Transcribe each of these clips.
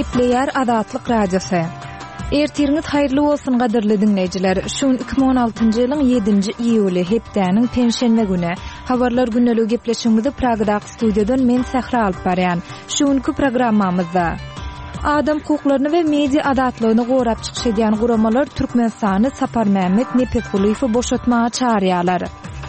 Gepleýär Azatlyk Radiosy. Ertiriňiz haýyrly bolsun gadyrly diňleýjiler. Şu gün 2016-njy ýylyň 7-nji iýuly, hepdäniň penşenbe güni. Habarlar gündeligi gepleşigimizi Pragadaky studiýadan men Sähra alyp barýan. Şu günki programmamyzda Adam hukuklaryny we media azatlygyny gorap çykyş edýän guramalar Türkmenistany Saparmämmet Nepesgulyýewi boşatmaga çagyrýarlar.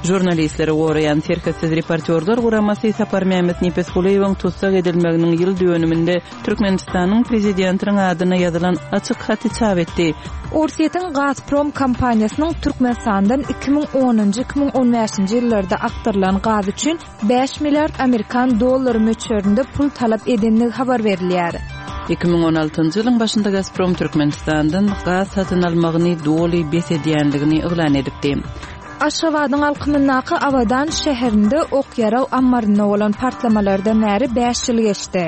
Žurnalistleri goraýan Serhetsiz reportýorlar guramasy Saparmämmet Nepesgulyýewiň tussag edilmeginiň ýyl dönüminde Türkmenistanyň Prezidentiniň adyna ýazylan açyk haty çap etdi. Orsýetiň Gazprom kompaniýasynyň Türkmenistandan 2010-njy, 2015-nji ýyllarda akdyrylan gaz üçin bäş milliard amerikan dollary möçberinde pul talap edendigi habar berilýär. 2016-njy ýylyň başynda Gazprom Türkmenistandan gaz satyn almagyny doly bes edýändigini yglan edipdi. Aşgabadyň alkymyndaky Abadan şäherinde ok-ýarag ammarynda bolan partlamalardan bäri bäş ýyl geçdi.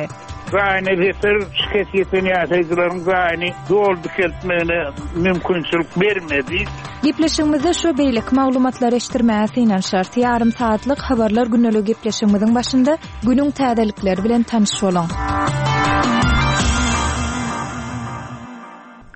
Jaýyna zeper şikes ýeten ýaşaýjylaryň jaýyny doly dikeltmegine mümkinçilik bermedi. Gepleşigimizde şu beýleki maglumatlary eşitdirmäge synanyşarys. Ýarym sagatlyk Habarlar gündeligi gepleşigimiziň başynda günüň täzelikleri bilen tanyş boluň.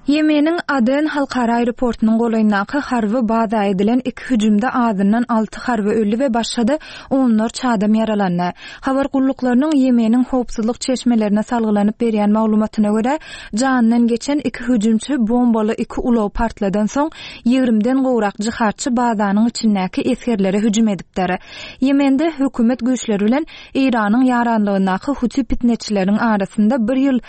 Ýemeniň Aden halkara aeroportunyň golaýyndaky harby baza edilen iki hüjümde azyndan alty harby öldi we başga-da onlarça adam ýaralandy. Habar gulluklarynyň Ýemeniň howpsuzlyk çeşmelerine salgylanyp berýän maglumatyna görä, janyndan geçen iki hüjümçi bombaly iki ulag partladan soň, ýigrimden gowrak jihadçy bazanyň içindäki esgerlere hüjüm edipdir. Ýemende hökümet güýçleri bilen Eýranyň ýaranlygyndaky huti pitneçileriniň arasynda bir ýyl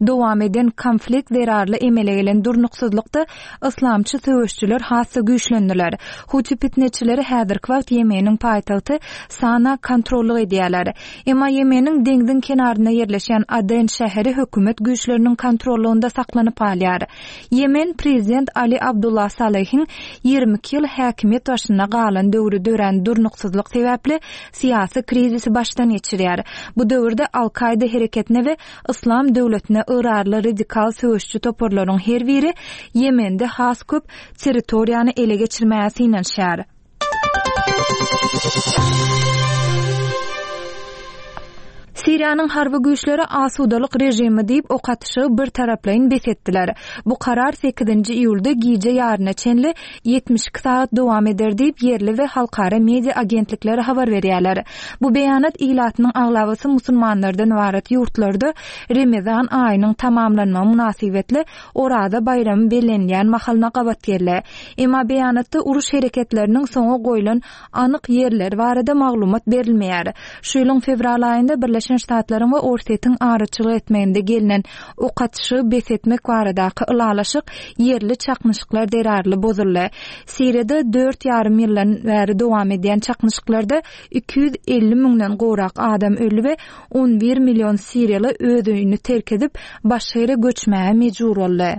Dowam eden konflikt zerarly emele gelen durnuksyzlykda yslamçy söweşijiler has-da güýçlendiler. Huti pitneçileri häzirki wagt Ýemeniň paýtagty Sana kontrollyk edýärler. Emma Ýemeniň deňziň kenarynda ýerleşýän Aden şäheri hökümet güýçleriniň kontrollygynda saklanyp galýar. Ýemen prezident Ali Abdullah Salehiň 22 ýyl häkimiýet başynda galan döwri dörän durnuksyzlyk sebäpli syýasy krizisi başdan geçirýär. Bu döwürde Al-Kaýda hereketine we Yslam döwletine ygrarly radikal söweşiji toparlaryň her biri Ýemende has köp territoriýany ele geçirmäge synanyşýar. Siriýanyň harby güýçleri asudalyk režimi diýip ok atyşygy birtaraplaýyn bes etdiler. Bu karar sekizinji iýulda gije ýaryna çenli 72 sagat dowam eder diýip, ýerli we halkara media agentlikleri habar berýärler. Bu beýanat ilatynyň aglabasy musulmanlardan ybarat ýurtlarda Remezan aýynyň tamamlanmagy mynasybetli Oraza baýramy bellenilýän mahalyna gabat geldi. Emma beýanatda uruş hereketleriniň soňa goýlan anyk ýerleri barada maglumat berilmeýär. Şu ýylyň fewral aýynda Birleşen Ştatlaryň we Orsýetiň araçylyk etmeginde gelnen ok atyşygy bes etmek baradaky ylalaşyk ýerli çaknyşyklar zerarly bozuldy. Siriýada dört ýarym ýyldan bäri dowam edýän çaknyşyklarda 250 müňden gowrak adam öldi we 11 million siriýaly öz öýüni terk edip, başga ýere göçmäge mejbur boldy.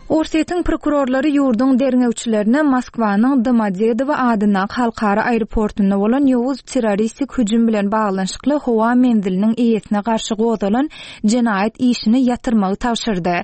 Orsýetiň prokurorlary ýurduň derňewçilerine Moskwanyň Domodedowo adyndaky halkara aeroportunda bolan ýowuz terroristik hüjüm bilen baglanyşykly howa menziliniň eýesine garşy gozgalan jenaýat işini ýatyrmagy tabşyrdy.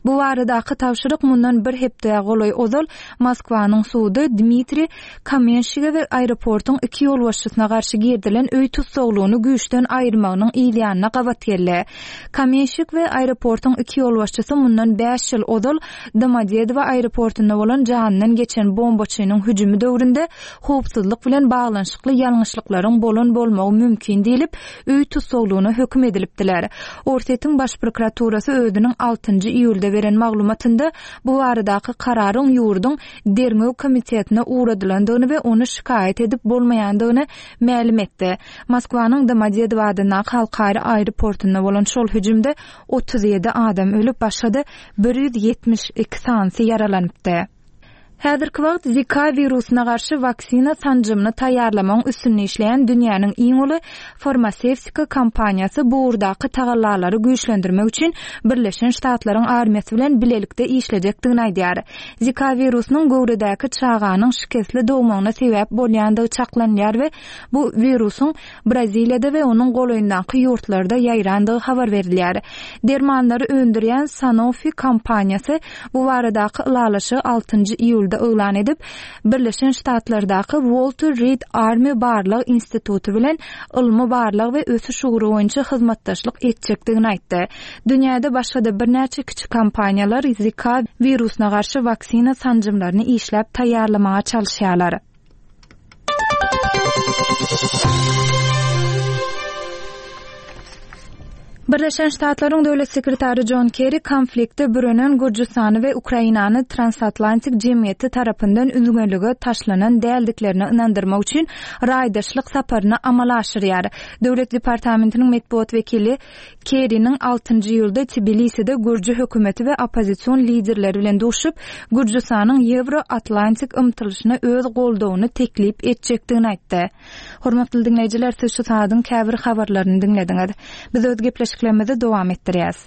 Bu baradaky tabşyryk mundan bir hepdä golaý ozal Moskwanyň sudy Dmitriý Kamenşige we aeroportuň iki ýolbaşçysyna garşy girizilen öý tussaglygyny güýçden aýyrmagynyň yzýanyna gabat geldi. Kamenşik we aeroportuň iki ýolbaşçysy mundan bäş ýyl ozal Domodedowo aeroportunda bolan janyndan geçen bombaçynyň hüjümi döwründe howpsuzlyk bilen baglanyşykly ýalňyşlyklaryň bolan bolmagy mümkin diýlip, öý tussaglygyna höküm edilipdiler. Orsýetiň Baş prokuraturasy özüniň altynjy iýulda beren maglumatynda bu baradaky kararyň ýurduň Derňew komitetine ugradylandygyny we ony şikaýat edip bolmaýandygyny mälim etdi. Moskwanyň Domodedowo adyndaky halkara aeroportunda bolan şol hüjümde 37 adam ölüp, başga-da 172 sanysy ýaralanypdy. Häzirki wagt Zika wirusyna garşy waksina sanjymyny taýýarlamagyň üstünde işleýän dünýäniň iň uly farmasewtika kompaniýasy bu ugurdaky tagallalary güýçlendirmek üçin Birleşen Ştatlaryň armiýasy bilen bilelikde işlejekdigini aýdýar. Zika wirusynyň göwredäki çaganyň şikesli dogmagyna sebäp bolýandygy çaklanylýar we bu wirusyň Braziliýada we onuň golaýyndaky ýurtlarda ýaýrandygy habar berilýär. Dermanlary öndürýän Sanofi kompaniýasy bu baradaky ylalaşygy altynjy iýulda. iýulda yglan edip, Birleşen Ştatlardaky Walter Reed Army barlag instituty bilen ylmy-barlag we ösüş ugry boýunça hyzmatdaşlyk etjekdigini aýtdy. Dünýäde başga-da birnäçe kiçi kompaniýalar Zika wirusyna garşy waksina sanjymlaryny işläp taýýarlamaga çalyşýarlar. Birleşen Ştatlaryň Döwlet sekretary Jon Kerri konflikte bürenen Gürjüstany we Ukrainany transatlantik jemgyýeti tarapyndan üzňelige taşlanan däldiklerine ynandyrmak üçin raýdaşlyk saparyny amala aşyrýar. Döwlet departamentiniň metbugat wekili Kerriniň altynjy iýulda Tbiliside gürji hökümeti we oppozision liderleri bilen duşup, Gürjüstanyň ýewro-atlantik ymtylyşyna öz goldawyny teklip etjekdigini aýtdy. Hormatly diňleýjiler, siz şu saadyň käbir habarlaryny diňlediňiz. Biz öz gepleşiklerimizi dowam etdirýäs.